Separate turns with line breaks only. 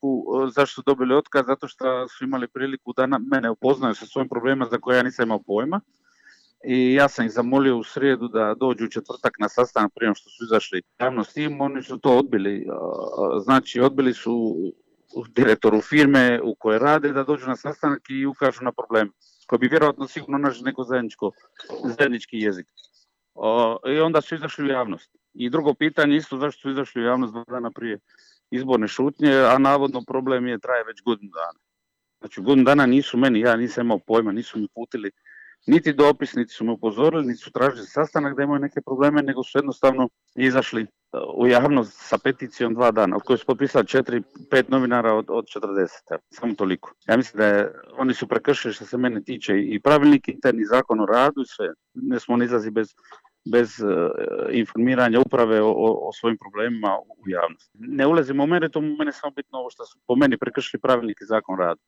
priliku, zašto su dobili otkaz, zato što su imali priliku da mene upoznaju sa svojim problemima za koje ja nisam imao pojma. I ja sam ih zamolio u srijedu da dođu u četvrtak na sastanak prije što su izašli javnosti, oni su to odbili. Znači, odbili su direktoru firme u kojoj rade da dođu na sastanak i ukažu na problem koji bi vjerojatno sigurno našli neko zajednički jezik. I onda su izašli u javnost. I drugo pitanje isto, zašto su izašli u javnost 2 dana prije izborne šutnje, a navodno problem traje već godinu dana. Znači, godinu dana nisu meni, ja nisam imao pojma, nisu mi putili niti dopis, niti su me upozorili, niti su tražili sastanak da imaju neke probleme, nego su jednostavno izašli u javnost sa peticijom 2 dana, od koje su potpisali 4-5 novinara od 40. Samo toliko. Ja mislim da oni su prekršili, što se mene tiče, i pravilnik interni, zakon o radu i sve. Ne smo izlazi bez informiranja uprave o svojim problemima u javnosti. Ne ulazimo u meritum, mene samo bitno ovo što su po meni prekršili pravilnik i zakon o radu.